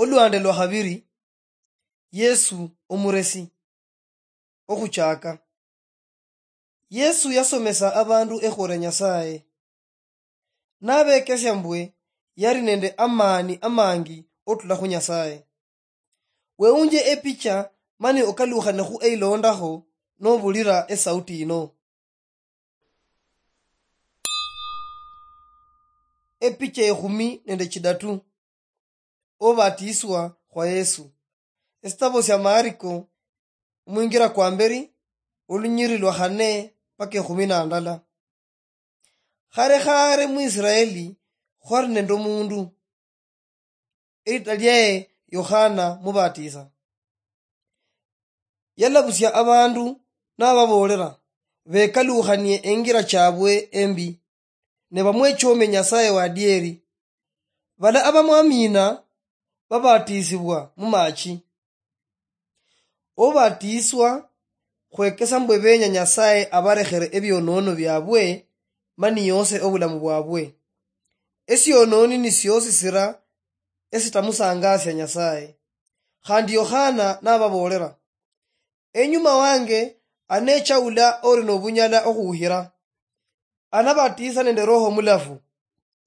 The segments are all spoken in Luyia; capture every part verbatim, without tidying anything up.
Olwande lwa khabiri, Yesu omuresi. Okhuchaka. Yesu yasomesa abandu ekhuria Nyasaye. Nabekesia mbwe yali nende amani amangi otula khu Nyasaye. Weunje epicha mani okalukhane khu eilondakho nobulira esauti yino. Epicha ekhumi nende chidatu. Obatiswa khwa Yesu. Esitabo sia Mariko, omwingira kwa mberi, olunyiri lwa khane paka ekhumi na ndala. Khare khare mu Israeli khwali nende omundu, erita liaye Yohana Mubatisa. Yalabusia abandu nababoolera bekalukhanie engira chabwe embi, ne bamwechomie Nyasaye wadieri. Bala abamwamina babatisibwa mumachi. Obatiswa khwekesa mbwe benya Nyasaye abarekhere ebionono biabwe, mani yose obulamu bwabwe. Esiononi ni siosi sira esitamusangasia Nyasaye. Khandi Yohana nababoolera, "Enyuma wange anecha ula ori nobunyala okhuhira. Anabatisa nende Roho Mulafu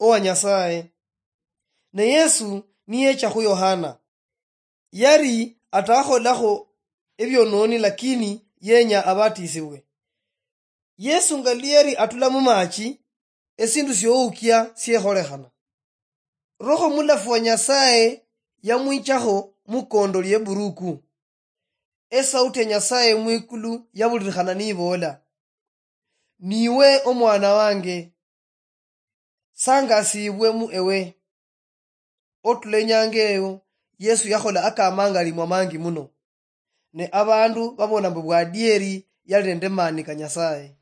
owa Nyasaye." Ne Yesu niyecha khu Yohana, yari atakholakho ebiononi, lakini yenya abatisibwe. Yesu nga liyeri atula mumachi, esindu sioukia siekholekhana. Roho Mulafu wa Nyasaye yamwichakho mukondo lieburuku. Esauti ya Nyasaye mwikulu yabulirikhana nibola, "Niwe omwana wange, sangasibwe mu ewe." Otula enyanga eyo, Yesu yakhola akamangalimwa mangi muno, ne abandu babona mbu bwadieri yali nende mani ka Nyasaye.